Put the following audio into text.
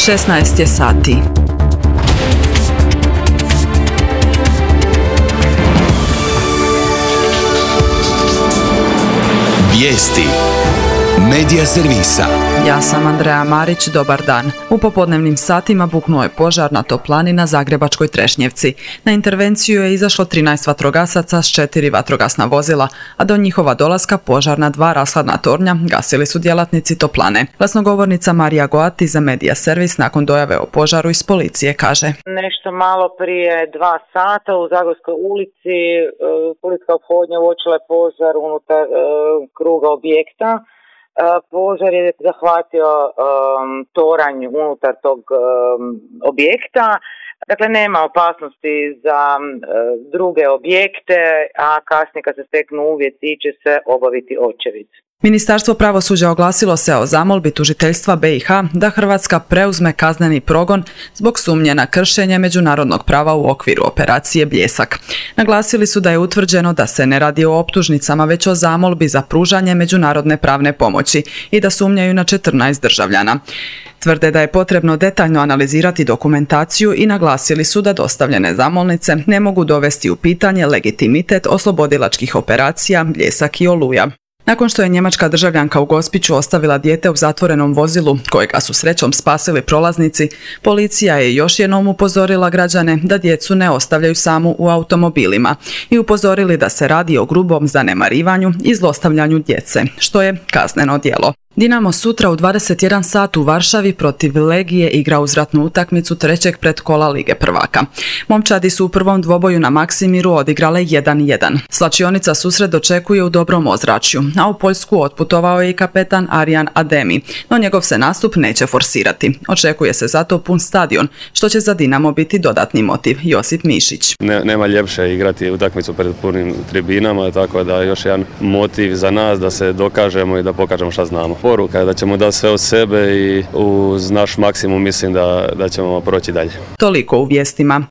16 je sati. Vijesti Medija servisa. Ja sam Andreja Marić, dobar dan. U popodnevnim satima buknuo je požar na toplani na Zagrebačkoj Trešnjevci. Na intervenciju je izašlo 13 vatrogasaca s 4 vatrogasna vozila, a do njihova dolaska požar na 2 rashladna tornja gasili su djelatnici toplane. Glasnogovornica Marija Goati za Medija servis nakon dojave o požaru iz policije kaže: Nešto malo prije 2 sata u Zagorskoj ulici policijska ophodnja uočila je požar unutar kruga objekta. Požar je zahvatio toranj unutar tog objekta. Dakle, nema opasnosti za druge objekte, a kasnije kad se steknu uvjeti će se obaviti očevid. Ministarstvo pravosuđa oglasilo se o zamolbi tužiteljstva BiH da Hrvatska preuzme kazneni progon zbog sumnje na kršenje međunarodnog prava u okviru operacije Bljesak. Naglasili su da je utvrđeno da se ne radi o optužnicama, već o zamolbi za pružanje međunarodne pravne pomoći i da sumnjaju na 14 državljana. Tvrde da je potrebno detaljno analizirati dokumentaciju i naglasili su da dostavljene zamolnice ne mogu dovesti u pitanje legitimitet oslobodilačkih operacija Bljesak i Oluja. Nakon što je njemačka državljanka u Gospiću ostavila dijete u zatvorenom vozilu, kojega su srećom spasili prolaznici, policija je još jednom upozorila građane da djecu ne ostavljaju samu u automobilima i upozorili da se radi o grubom zanemarivanju i zlostavljanju djece, što je kazneno djelo. Dinamo sutra u 21 sat u Varšavi protiv Legije igra uzvratnu utakmicu 3. pretkola Lige prvaka. Momčadi su u prvom dvoboju na Maksimiru odigrale 1:1. Slačionica susret dočekuje u dobrom ozračju, a u Poljsku otputovao je i kapetan Arjan Ademi, no njegov se nastup neće forsirati. Očekuje se zato pun stadion, što će za Dinamo biti dodatni motiv. Josip Mišić. Nema ljepše igrati utakmicu pred punim tribinama, tako da još jedan motiv za nas da se dokažemo i da pokažemo šta znamo. Poruka je da ćemo dati sve od sebe i uz naš maksimum mislim da ćemo proći dalje. Toliko u vijestima.